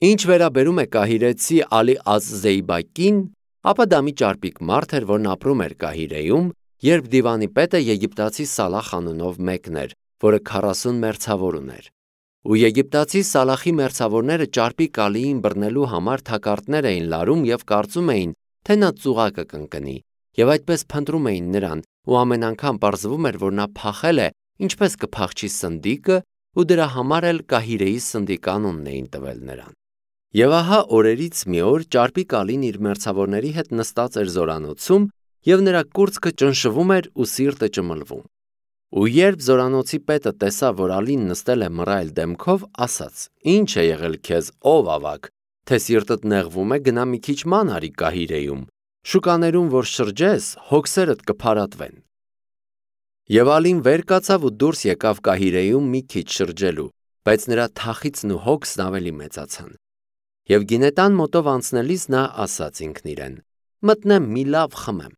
Ինչ վերաբերում է կահիրեցի Ալի Ազ-Զեյբակին, ապա դա մի ճարպիկ մարդ էր, որն ապրում էր Կահիրեում, երբ դիվանի պետը եգիպտացի Սալախ անունով մեկն էր, որը 40 մերձավոր ուներ։ Ու եգիպտացի Սալախի մերձավորները ճարպիկ Ալիին բռնելու համար թակարդներ էին լարում եւ կարծում էին, թե նա ծուղակը կընկնի, եւ այդպես փնտրում էին նրան, ու ամեն անգամ պարզվում էր, որ նա փախել է, ինչպես կփախչի սնդիկը, ու դրա համար էլ Կահիրեի սնդիկ անունն էին տվել նրան։ Եվ ահա օրերից մի օր ճարպիկ Ալին իր մերձավորների հետ նստած էր զորանոցում, եւ նրա կուրծքը ճնշվում էր ու սիրտը ճմլվում։ Ու երբ զորանոցի պետը տեսավ, որ Ալին նստել է մռայլ դեմքով, ասաց. «Ինչ է եղել քեզ, ով ավագ, թե սիրտդ նեղվում է, գնա մի քիչ ման արի Կահիրեում, շուկաներում որ շրջես, հոգսերդ կփարատվեն»։ Եվ Ալին վեր կացավ ու դուրս եկավ Կահիրեում մի քիչ շրջելու, բայց նրա թախիծն ու հոգսն ավելի մեծացան։ Եվ գինետան մոտով անցնելիս նա ասաց ինքն իրեն. «Մտնեմ մի լավ խմեմ»։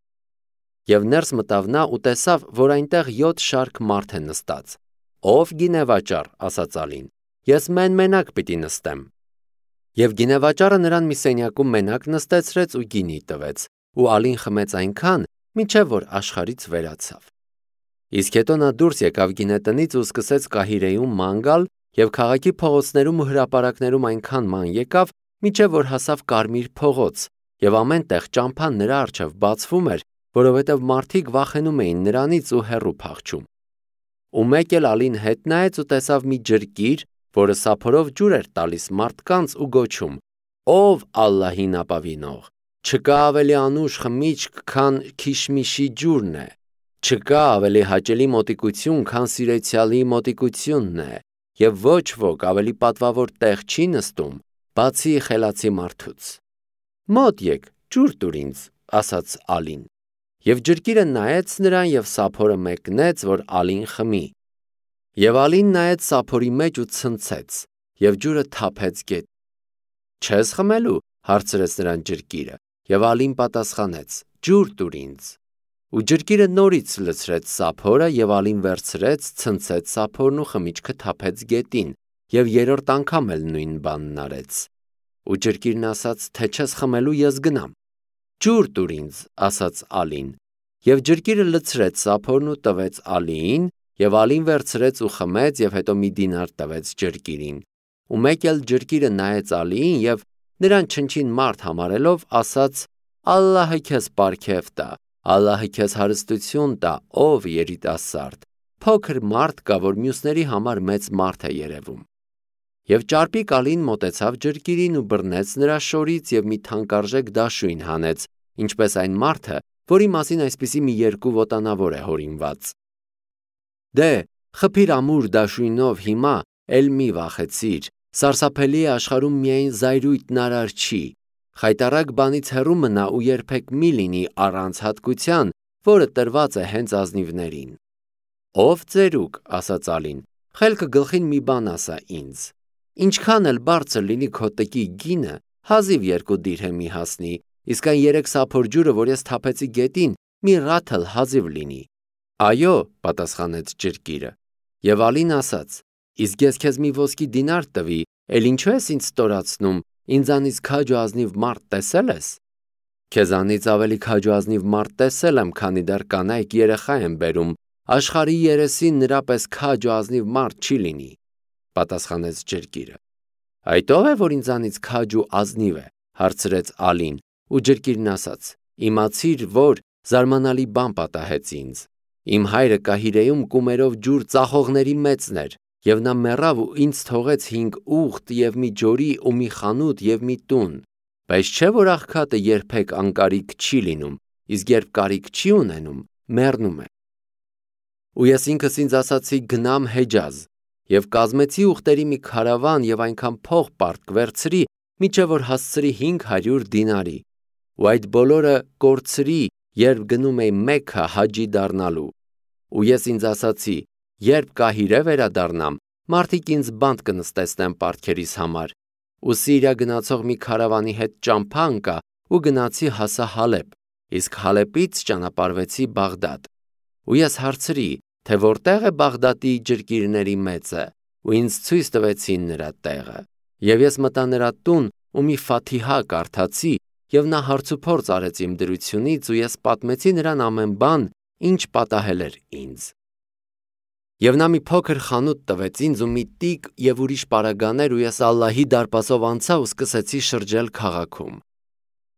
Եվ ներս մտավ նա ու տեսավ, որ այնտեղ 7 շարք մարդ է նստած։ «Ով գինեվաճառ», ասաց Ալին, «ես մենակ պիտի նստեմ»։ Եվ գինեվաճառը նրան մի սենյակում մենակ նստեցրեց ու գինի տվեց, ու Ալին խմեց այնքան, մինչև որ աշխարհից վերացավ։ Իսկ հետո նա դուրս եկավ գինետնից ու սկսեց Կահիրեում ման գալ, եւ քաղաքի փողոցներում ու հրապարակներում այնքան ման եկավ, մինչև որ հասավ Կարմիր փողոց, եւ ամեն տեղ ճամփան նրա առջև բացվում էր, որովհետև մարդիկ վախենում էին նրանից ու հեռու փախչում։ Ու մեկ էլ Ալին հետ նայեց ու տեսավ մի ջրկիր, որը սափորով ջուր էր տալիս մարդկանց ու գոչում. «Ով Ալլահին ապավինող, չկա ավելի անուշ խմիչք, քան քիշմիշի ջուրն է, չկա ավելի հաճելի մոտիկություն, քան սիրեցյալի մոտիկությունն է, եւ ոչ ոք ավելի պատվավոր տեղ չի նստում, բացի խելացի մարդուց»։ «Մոտ եկ, ջուր տուր ինձ», ասաց Ալին։ Եվ ջրկիրը նայեց նրան եւ սափորը մեկնեց, որ Ալին խմի։ Եվ Ալին նայեց սափորի մեջ ու ցնցեց, եւ ջուրը թափեց գետ։ «Չես խմելու», հարցրեց նրան ջրկիրը, եւ Ալին պատասխանեց. «Ջուր տուր ինձ»։ Ու ջրկիրը նորից լցրեց սափորը, եւ Ալին վերցրեց, ցնցեց սափորն ու խմիչքը թափեց գետին, եւ երրորդ անգամ էլ նույն բանն արեց։ Ու ջրկիրն ասաց, թե չես խմելու, ես գնամ։ «Ջուր տուր ինձ», ասաց Ալին, եւ ջրկիրը լցրեց սափորն ու տվեց Ալիին, եւ Ալին վերցրեց ու խմեց եւ հետո մի դինար տվեց ջրկիրին։ Ու մեկ էլ ջրկիրը նայեց Ալիին եւ նրան չնչին մարդ համարելով ասաց. «Ալլահը քեզ պարգև տա, Ալլահը քեզ հարստություն տա, ով երիտասարդ, փոքր մարդ կա, որ մյուսների համար մեծ մարդ է երևում»։ Եվ ճարպիկ Ալին մոտեցավ ջրկիրին ու բռնեց նրա շորից եւ մի թանկարժեք դաշույն հանեց, ինչպես այն մարդը, որի մասին այսպիսի մի երկու ոտանավոր է հորինված։ «Դե, խփիր ամուր դաշույնով հիմա, էլ մի վախեցիր, սարսափելի է աշխարհում միայն զայրույթն արար չի, խայտառակ բանից հեռու մնա ու երբեք մի լինի առանց հատկության, որը տրված է հենց ազնիվներին»։ «Ով ծերուկ», ասաց Ալին, «խելքը գլխին մի բան ասա ինձ. ինչքան էլ բարձր լինի քո տկի գինը, հազիվ 2 դիրհեմի հասնի, իսկ այն 3 սափոր ջուրը, որ ես թափեցի գետին, մի ռաթլ հազիվ լինի»։ «Այո», պատասխանեց ջրկիրը։ Եվ Ալին ասաց. «Իսկ ես քեզ մի ոսկի դինար տվի, էլ ինչու ես ինձ ստորացնում, ինձանից քաջ ու ազնիվ մարդ տեսել ես»։ «Քեզանից ավելի քաջ ու ազնիվ մարդ տեսել եմ, քանի դեռ կանայք երեխա են բերում, աշխարհի երեսին նրա պես քաջ ու ազնիվ մարդ չի լինի», պատասխանեց ջրկիրը։ «Այդ ո՞վ է, որ ինձանից քաջ ու ազնիվ է», հարցրեց Ալին, ու ջրկիրն ասաց. «Իմացիր, որ զարմանալի բան պատահեց ինձ։ Իմ հայրը Կահիրեում կումերով ջուր ծախողների մեծն էր, եւ նա մեռավ ու ինձ թողեց 5 ուղտ եւ մի ջորի ու մի խանութ եւ մի տուն, բայց չէ՞ որ աղքատը երբեք անկարիք չի լինում, իսկ երբ կարիք չի ունենում, մեռնում է։ Ու ես ինքս ինձ ասացի գնամ Հեջազ, եւ կազմեցի ուղտերի մի քարավան եւ այնքան փող պարտք վերցրի, մինչեւ որ հասցրի 500 դինարի, ու այդ բոլորը կորցրի, երբ գնում էի Մեքքա հաջի դառնալու։ Ու ես ինձ ասացի, երբ Կահիրե վերադառնամ, մարդիկ ինձ բանտ կնստեցնեն պարտքերիս համար, ու Սիրիա գնացող մի քարավանի հետ ճամփա ընկա ու գնացի հասա Հալեբ, իսկ Հալեպից ճանապարհվեցի Բաղդադ։ Ու ես հարցրի, թե որտեղ է Բաղդադի ջրկիրների մեծը, ու ինձ ցույց տվեցին նրա տեղը։ Եվ ես մտա նրա տուն ու մի Ֆաթիհա կարդացի, եւ նա հարցուփորձ արեց իմ դրությունից ու ես պատմեցի նրան ամեն բան, ինչ պատահել էր ինձ։ Եվ նա մի փոքր խանութ տվեց ինձ ու մի տիկ եւ ուրիշ պարագաներ ու ես Ալլահի դարպասով անցա ու սկսեցի շրջել քաղաքում։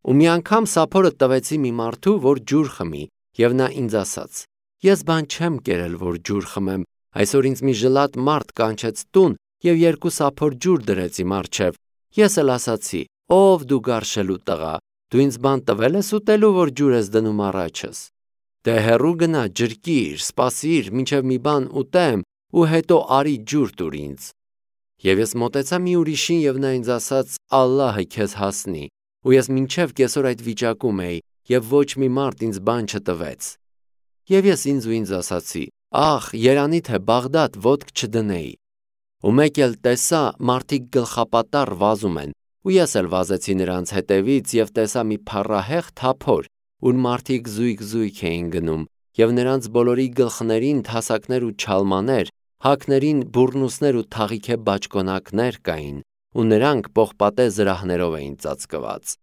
Ու մի անգամ սափորը տվեցի մի մարդու, որ ջուր խմի, եւ նա ինձ ասաց. Ես բան չեմ կերել, որ ջուր խմեմ, այսօր ինձ մի ժլատ մարդ կանչեց տուն եւ 2 սափոր ջուր դրեց իմ առջեւ։ Ես էլ ասացի. ով դու գարշելու տղա, դու ինձ բան տվել ես ուտելու, որ ջուր ես դնում առաջս։ Դե հեռու գնա, ջրկիր, սպասիր, մինչև մի բան ուտեմ ու հետո արի ջուր տուր ինձ։ Եվ ես մոտեցա մի ուրիշին եւ նա ինձ ասաց. Ալլահը քեզ հասնի, ու ես մինչև կեսօր այդ վիճակում էի եւ ոչ մի մարդ ինձ բան չտվեց։ Եվ ես ինձ ասացի. ախ, երանի թե Բաղդադ ոտք չդնեի։ Ու մեկ էլ տեսա մարդիկ գլխապատառ վազում են, ու ես էլ վազեցի նրանց հետևից եւ տեսա մի փառահեղ թափոր, ուր մարդիկ զույգ էին գնում, եւ նրանց բոլորի գլխներին թասակներ ու չալմաներ, հակներին բուրնուսներ ու թաղիքե բաճկոնակներ կային, ու նրանք պողպատե զրահներով էին ծածկված։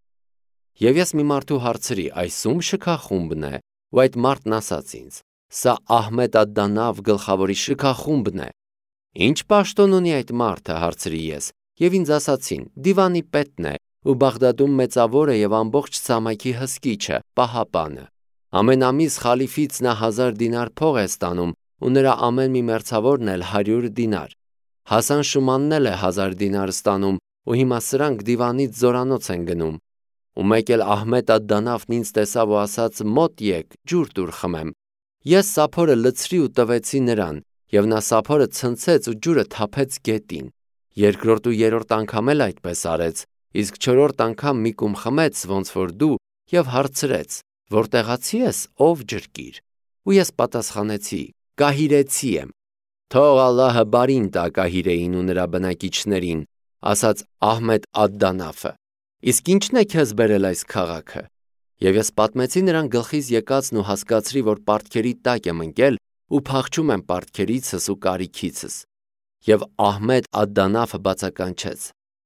Եվ ես մի մարդու հարցրի. այս ում շքախումբն է, ու այդ մարդն ասաց ինձ. սա Ահմեդ ալ-Դանավ գլխավորի շքախումբն է։ Ինչ պաշտոն ունի այդ մարդը, հարցրի ես, եւ ինձ ասացին. դիվանի պետն է, ու Բաղդադում մեծավոր է եւ ամբողջ ցամաքի հսկիչը, պահապանը։ Ամեն ամիս խալիֆից նա 1000 դինար փող է ստանում, ու նրա ամեն մի մերձավորն էլ 100 դինար։ Հասան Շումանն էլ է 1000 դինար ստանում, ու հիմա սրանք դիվանից զորանոց են գնում։ Ու մեկ էլ Ահմեդ ալ-Դանավն ինձ տեսավ ու ասաց. մոտ եկ, ջուր տուր խմեմ։ Ես սափորը լցրի ու տվեցի նրան, եւ նա սափորը ցնցեց ու ջուրը թափեց գետին։ Երկրորդ ու երրորդ անգամ էլ այդպես արեց, իսկ 4-րդ անգամ մի կում խմեց, ոնց որ դու, եւ հարցրեց. որտեղացի ես, ով ջրկիր։ Ու ես պատասխանեցի. կահիրեցի եմ։ Թող Ալլահը բարին տա Կահիրեին ու նրա բնակիչներին, ասաց Ահմեդ ալ-Դանավը։ Իսկ ի՞նչն է քեզ բերել այս քաղաքը։ Եվ ես պատմեցի նրան գլխից եկածն ու հասկացրի, որ պարտքերի տակ եմ ընկել ու փախչում եմ պարտքերիցս ու կարիքիցս։ Եվ Ահմեդ ալ-Դանավը բացականչեց.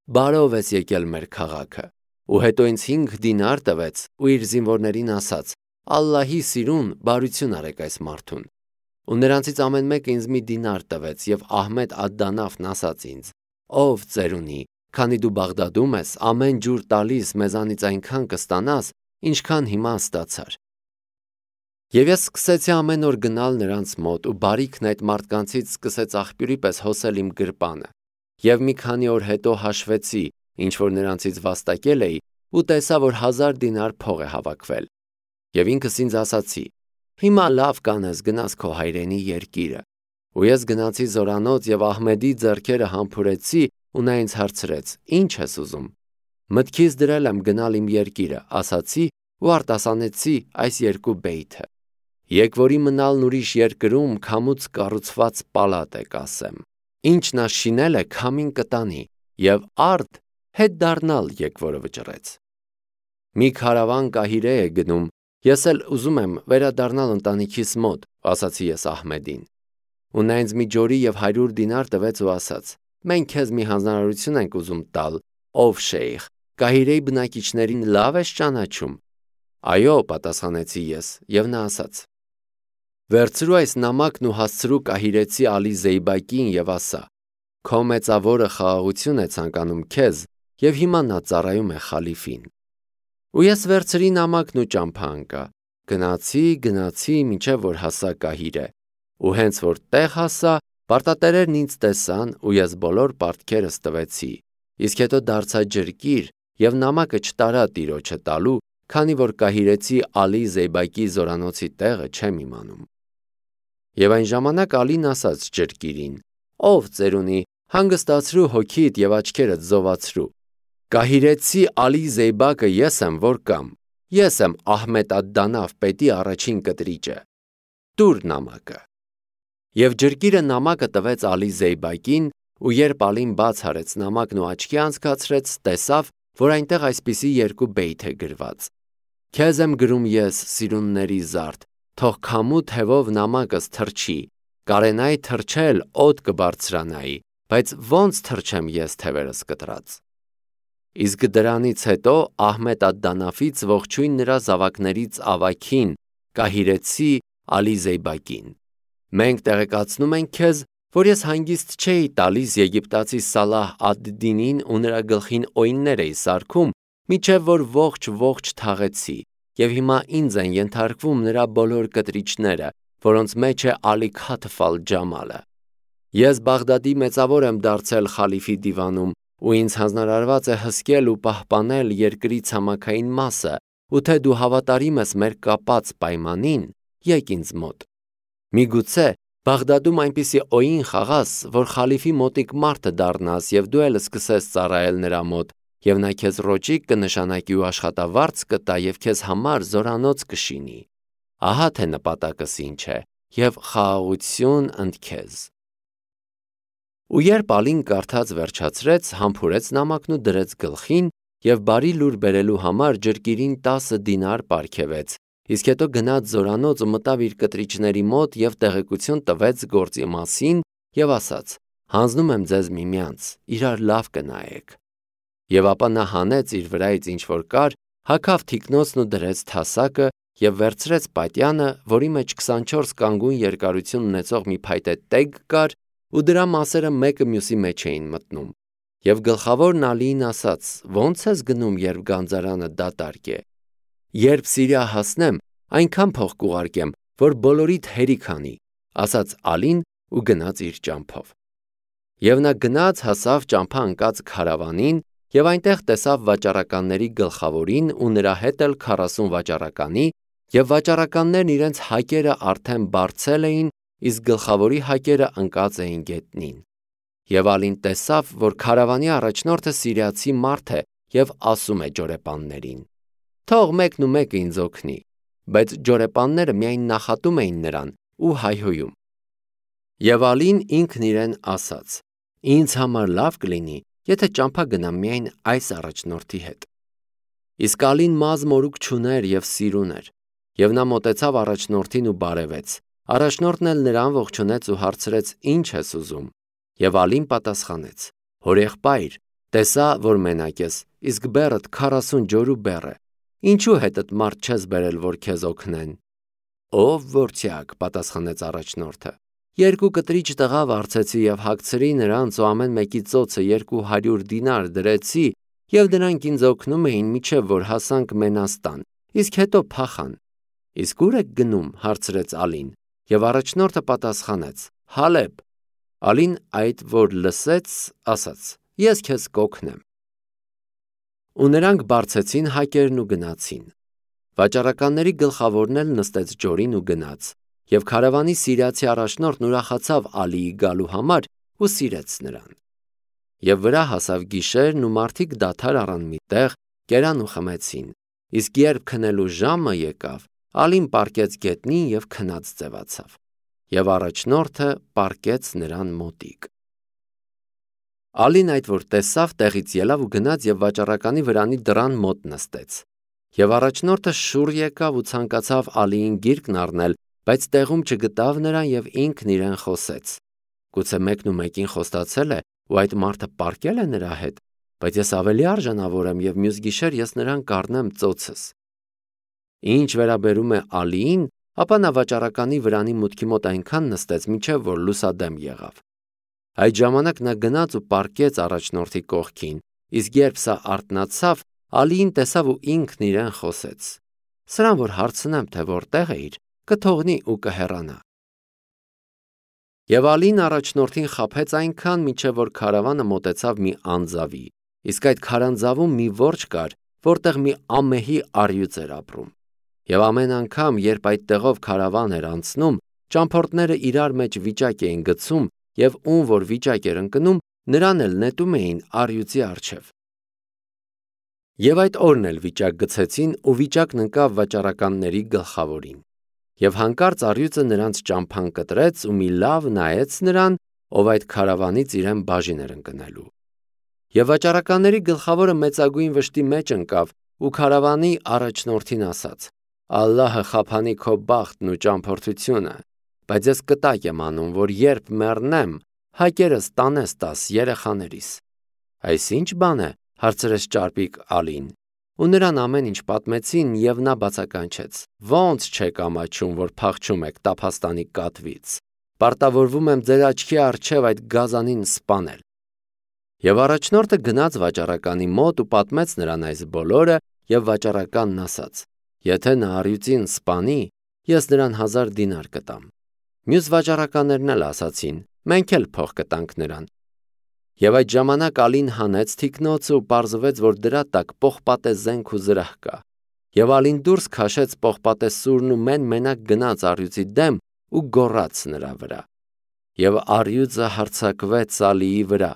բարով ես եկել մեր քաղաքը։ Ու հետո ինձ 5 դինար տվեց ու իր զինվորներին ասաց. Ալլահի սիրուն, բարություն արեք այս մարդուն։ Ու նրանցից ամեն մեկը ինձ մի դինար տվեց եւ Ահմեդ ալ-Դանավն ասաց ինձ. ով ծերունի, քանի դու Բաղդադում ես, ամեն ջուր տալիս մեզանից այնքան կստանաս, ինչքան հիմա ստացար։ Եվ ես սկսեցի ամեն օր գնալ նրանց մոտ ու բարիքն այդ մարդկանցից սկսեց աղբյուրի պես հոսել իմ գրպանը։ Եվ մի քանի օր հետո հաշվեցի, ինչ որ նրանցից վաստակել էի, ու տեսա, որ 1000 դինար փող է հավաքվել։ Եվ ինքս ինձ ասացի. հիմա լավ կանես գնաս քո հայրենի երկիրը։ Ու ես գնացի զորանոց եւ Ահմեդի ձեռքերը համբուրեցի ու նա ինձ հարցրեց. ինչ ես ուզում։ Մտքիս դրել եմ գնալ իմ երկիրը, ասացի ու արտասանեցի այս 2 բեյթը։ Եկվորի մնալն ուրիշ երկրում քամուց կառուցված պալատ է, կասեմ։ Ինչ նա շինել է, քամին կտանի, եւ արդ հետ դառնալ եկվորը վճռեց։ Մի քարավան Կահիրե է գնում, ես էլ ուզում եմ վերադառնալ ընտանիքիս մոտ, ասացի ես Ահմեդին։ Ու նա ինձ մի ջորի եւ 100 դինար տվեց ու ասաց. մենք քեզ մի հանձնարարություն ենք ուզում տալ, ով շեյխ, Կահիրեի բնակիչներին լավ ես ճանաչում։ Այո, պատասխանեցի ես, եւ նա ասաց. վերցրու այս նամակն ու հասցրու Կահիրեցի Ալի Զեյբակին եւ ասա. քո մեծավորը խաղաղություն է ցանկանում քեզ եւ հիմա նա ծառայում է խալիֆին։ Ու ես վերցրի նամակն ու ճամփա ընկա։ Գնացի, մինչև որ հասա Կահիրե։ Ու հենց որ տեղ հասա, պարտատերերն ինձ տեսան ու ես բոլոր պարտքերս տվեցի։ Իսկ հետո դարձա ջրկիր եւ նամակը չտարա տիրոջը տալու, քանի որ Կահիրեցի Ալի Զեյբակի զորանոցի տեղը չեմ իմանում։ Եվ այն ժամանակ Ալին ասաց ջրկիրին. ով ծերունի, հանգստացրու հոգիդ եւ աչքերդ զովացրու։ Կահիրեցի Ալի Զեյբակը ես եմ, որ կամ։ Ես եմ Ահմեդ ալ-Դանավ պետի առաջին կտրիճը։ Տուր նամակը։ Եվ ջրկիրը նամակը տվեց Ալի Զեյբակին, ու երբ Ալին բաց արեց նամակն ու աչքի անցկացրեց, տեսավ, որ այնտեղ այսպիսի 2 բեյթ է գրված. Քեզ եմ գրում ես, սիրունների զարդ, թող քամու թևով նամակս թրջի, կարենայի թրջել օդ կբարձրանայի, բայց ոնց թռչեմ ես թևերս կտրած։ Իսկ դրանից հետո Ահմեդ ալ-Դանաֆից ողջույն նրա զավակներից ավագին, Կահիրեցի Ալի Զեյբակին։ Մենք տեղեկացնում ենք քեզ, որ ես հանգիստ չէի տալիս եգիպտացի Սալահ ադ-Դինին ու նրա գլխին օյններ էի սարքում, մինչև որ ողջ թաղեցի, և հիմա ինձ են ենթարկվում նրա բոլոր կտրիչները, որոնց մեջ է Ալի Քաթֆ ալ-Ջամալը։ Ես Բաղդադի մեծավոր եմ դարձել խալիֆի դիվանում, ու ինձ հանձնարարված է հսկել ու պահպանել երկրի ցամաքային մասը, ու թե դու հավատարիմ ես մեր կապած պայմանին, եկ ինձ մոտ։ Միգուցե Բաղդադում այնպիսի օյին խաղաս, որ խալիֆի մոտիկ մարդը դառնաս և դու էլ սկսես ծառայել նրա մոտ, և նա քեզ ռոճիկ կնշանակի ու աշխատավարձ կտա և քեզ համար զորանոց կշինի։ Ահա թե նպատակս ինչ է, և խաղաղություն ընդ քեզ։ Ու երբ Ալին կարդաց վերջացրեց, համբուրեց նամակն ու դրեց գլխին և բարի լուր բերելու համար ջրկիրին 10 դինար պարգևեց, իսկ հետո գնաց զորանոց ու մտավ իր կտրիչների մոտ և տեղեկություն տվեց գործի մասին և ասաց. «Հանձնում եմ ձեզ միմյանց, իրար լավ կնայեք»։ Եվ ապա նա հանեց իր վրայից ինչ-որ կար, հագավ թիկնոցն ու դրեց թասակը և վերցրեց պատյանը, որի մեջ 24 կանգուն երկարություն ունեցող մի փայտե տեգ կար, ու դրա մասերը մեկը մյուսի մեջ էին մտնում։ Եվ գլխավորն Ալիին ասաց. «Ոնց ես գնում, երբ գանձարանը դատարկ է»։ «Երբ Սիրիա հասնեմ, այնքան փող կուղարկեմ, որ բոլորիդ հերիք անի», ասաց Ալին ու գնաց իր ճամփով։ Եվ նա գնաց հասավ ճամփա ընկած քարավանին և այնտեղ տեսավ վաճառականների գլխավորին ու նրա հետ էլ 40 վաճառականի, և վաճառականներն իրենց հակերը արդեն բարձել էին, իսկ գլխավորի հակերը ընկած էին գետնին։ Եվ Ալին տեսավ, որ քարավանի առաջնորդը սիրիացի մարդ է և ասում է ջորեպաններին. «Թող մեկն ու մեկը ինձ օգնի», բայց ջորեպանները միայն նախատում էին նրան ու հայհոյում։ Եվ Ալին ինքն իրեն ասաց. «Ինձ համար լավ կլինի, եթե ճամփա գնամ միայն այս առաջնորդի հետ»։ Իսկ Ալին մազմ-մորուք չուներ և սիրուն էր, և նա մոտեցավ առաջնորդին ու բարևեց։ Առաջնորդն էլ նրան ողջունեց ու հարցրեց. «Ինչ ես ուզում»։ Եվ Ալին պատասխանեց. «Հորեղբայր, տեսա, որ մենակ ես, իսկ բեռդ 40 ջորու բեռ է, ինչու հետդ մարդ չես բերել, որ քեզ օգնեն»։ «Ով որդյակ», պատասխանեց առաջնորդը, «2 կտրիչ տղա վարձեցի և հագցրի նրանց ու ամեն մեկի ծոցը 200 դինար դրեցի, և դրանք ինձ օգնում էին, մինչև որ հասանք Մենաստան, իսկ հետո փախան»։ «Իսկ ո՞ւր եք գնում», հարցրեց Ալին, և առաջնորդը պատասխանեց. «Հալեբ»։ Ալին այդ որ լսեց, ասաց. «Ես քեզ կօգնեմ»։ Ու նրանք բարձեցին հակերն ու գնացին։ Վաճառականների գլխավորն էլ նստեց ջորին ու գնաց, և քարավանի սիրիացի առաջնորդն ուրախացավ Ալիի գալու համար ու սիրեց նրան։ Եվ վրա հասավ գիշերն ու մարդիկ դադար առան մի տեղ, կերան ու խմեցին, իսկ երբ քնելու ժամը եկավ, Ալին պառկեց գետնին և քնած ձևացավ, և առաջնորդը պառկեց նրան մոտիկ։ Ալին այդ որ տեսավ, տեղից ելավ ու գնաց և վաճառականի վրանի դռան մոտ նստեց։ Եվ առաջնորդը շուռ եկավ ու ցանկացավ Ալիին գիրկն առնել, բայց տեղում չգտավ նրան և ինքն իրեն խոսեց. «Գուցե մեկն ու մեկին խոստացել է ու այդ մարդը պառկել է նրա հետ, բայց ես ավելի արժանավոր եմ և մյուս գիշեր ես նրան կառնեմ ծոցս»։ Ինչ վերաբերում է Ալիին, ապա նա վաճառականի վրանի մուտքի մոտ այնքան նստեց, մինչև որ լուսադեմ եղավ։ Այդ ժամանակ նա գնաց ու պառկեց առաջնորդի կողքին, իսկ երբ սա արթնացավ, Ալիին տեսավ ու ինքն իրեն խոսեց. «Սրան որ հարցնեմ, թե որտեղ էիր, կթողնի ու կհեռանա»։ Եվ Ալին առաջնորդին խաբեց այնքան, մինչև որ քարավանը մոտեցավ մի անձավի, իսկ այդ քարանձավում մի որջը կար, որտեղ մի ամմեհի առյուծ էր ապրում։ Եվ ամեն անգամ, երբ այդ տեղով քարավան էր անցնում, ճամփորդները իրար մեջ վիճակ էին գցում, և ում որ վիճակ էր ընկնում, նրան էլ նետում էին առյուծի առջև։ Եվ այդ օրն էլ վիճակ գցեցին, ու վիճակն ընկավ վաճառականների գլխավորին։ Եվ հանկարծ առյուծը նրանց ճամփան կտրեց ու մի լավ նայեց նրան, ով այդ քարավանից իրեն բաժին էր ընկնելու։ Եվ վաճառականների գլխավորը մեծագույն վշտի մեջ ընկավ ու քարավանի առաջնորդին ասաց. «Ալլահը խափանի քո բախտն ու ճամփորդությունը, բայց ես կտակ եմ անում, որ երբ մեռնեմ, հակերս տանես տաս երեխաներիս։ Այս ի՞նչ բան է, հարցրեց ճարպիկ Ալին, ու նրան ամեն ինչ պատմեցին, եւ նա բացականչեց. Ոնց չեք ամաչում, որ փախչում եք տափաստանի կատվից։ Պարտավորվում եմ ձեր աչքի առջև այդ գազանին սպանել։ Եվ առաջնորդը գնաց վաճառականի մոտ ու պատմեց նրան այս բոլորը, եւ վաճառականն ասաց. Եթե նա առյուծին սպանի, ես նրան 1000 դինար կտամ։ Մյուս վաճառականներն էլ ասացին. մենք էլ փող կտանք նրան։ Եվ այդ ժամանակ Ալին հանեց թիկնոցը ու պարզվեց, որ դրա տակ պողպատե զենք ու զրահ կա։ Եվ Ալին դուրս քաշեց պողպատե սուրն ու մենակ գնաց առյուծի դեմ ու գոռաց նրա վրա։ Եվ առյուծը հարձակվեց Ալիի վրա,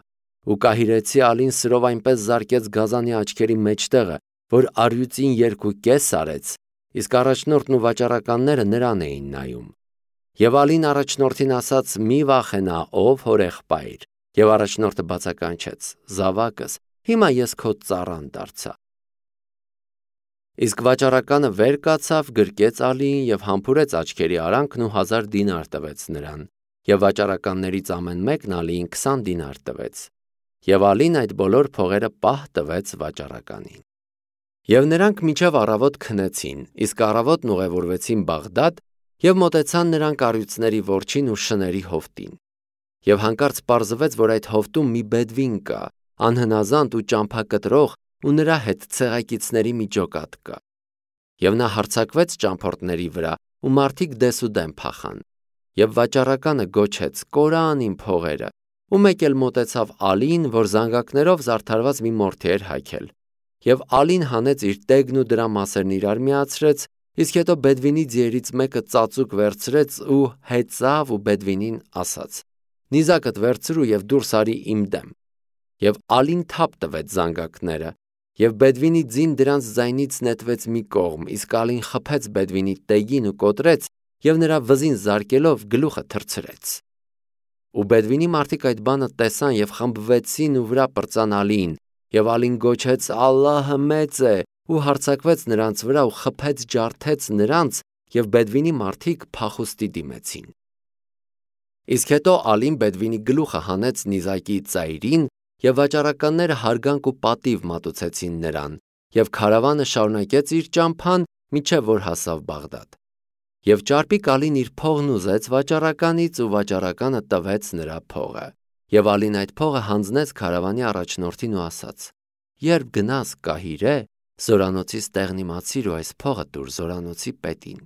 ու կահիրեցի Ալին սրով այնպես զարկեց գազանի աչքերի մեջտեղը, որ առյուծին 2.5 արեց, իսկ առաջնորդն ու վաճառականները նրան էին նայում։ Եվ Ալին առաջնորդին ասաց. մի վախենա, ով հորեղբայր։ Եվ առաջնորդը բացականչեց. զավակս, հիմա ես քո ծառան դարձա։ Իսկ վաճառականը վեր կացավ, գրկեց Ալիին եւ համբուրեց աչքերի արանքն ու 1000 դինար տվեց նրան։ Եվ վաճառականներից ամեն մեկն Ալիին 20 դինար տվեց։ Եվ Ալին այդ բոլոր փողերը պահ տվեց վաճառականին։ Եվ նրանք մինչև առավոտ քնեցին, իսկ առավոտն ուղևորվեցին Բաղդադ եւ մոտեցան նրանք առյուծների որջին ու շների հովտին։ Եվ հանկարծ պարզվեց, որ այդ հովտում մի բեդվին կա, անհնազանդ ու ճամփակտրող, ու նրա հետ ցեղակիցների մի ջոկատ կա։ Եվ նա հարձակվեց ճամփորդների վրա, ու մարդիկ դեսուդեմ փախան։ Եվ վաճառականը գոչեց. կորան իմ փողերը, ու մեկ էլ մոտեցավ Ալին, որ զանգակներով զարդարված մի մորթի էր հագել։ Եվ Ալին հանեց իր տեգն ու դրա մասերն իրար միացրեց, իսկ հետո բեդվինի ձիերից մեկը ծածուկ վերցրեց ու հեծավ ու բեդվինին ասաց. նիզակդ վերցրու եւ դուրս արի իմ դեմ։ Եվ Ալին թափ տվեց զանգակները, եւ բեդվինի ձին դրանց ձայնից նետվեց մի կողմ, իսկ Ալին խփեց բեդվինի տեգին ու կոտրեց եւ նրա վզին զարկելով գլուխը թռցրեց։ Ու բեդվինի մարդիկ այդ բանը տեսան եւ խմբվեցին ու վրա պրծան Ալիին, եւ Ալին գոչեց. Ալլահը մեծ է, ու հարձակվեց նրանց վրա ու խփեց ջարդեց նրանց, եւ բեդվինի մարդիկ փախուստի դիմեցին։ Իսկ հետո Ալին բեդվինի գլուխը հանեց նիզակի ծայրին, եւ վաճառականները հարգանք ու պատիվ մատուցեցին նրան, եւ քարավանը շարունակեց իր ճամփան, մինչև որ հասավ Բաղդադ։ Եվ ճարպիկ Ալին իր փողն ուզեց վաճառականից ու վաճառականը տվեց նրա փողը։ Եվ Ալին այդ փողը հանձնեց քարավանի առաջնորդին ու ասաց. երբ գնաս Կահիրե, զորանոցից տեղն իմացիր ու այս փողը տուր զորանոցի պետին։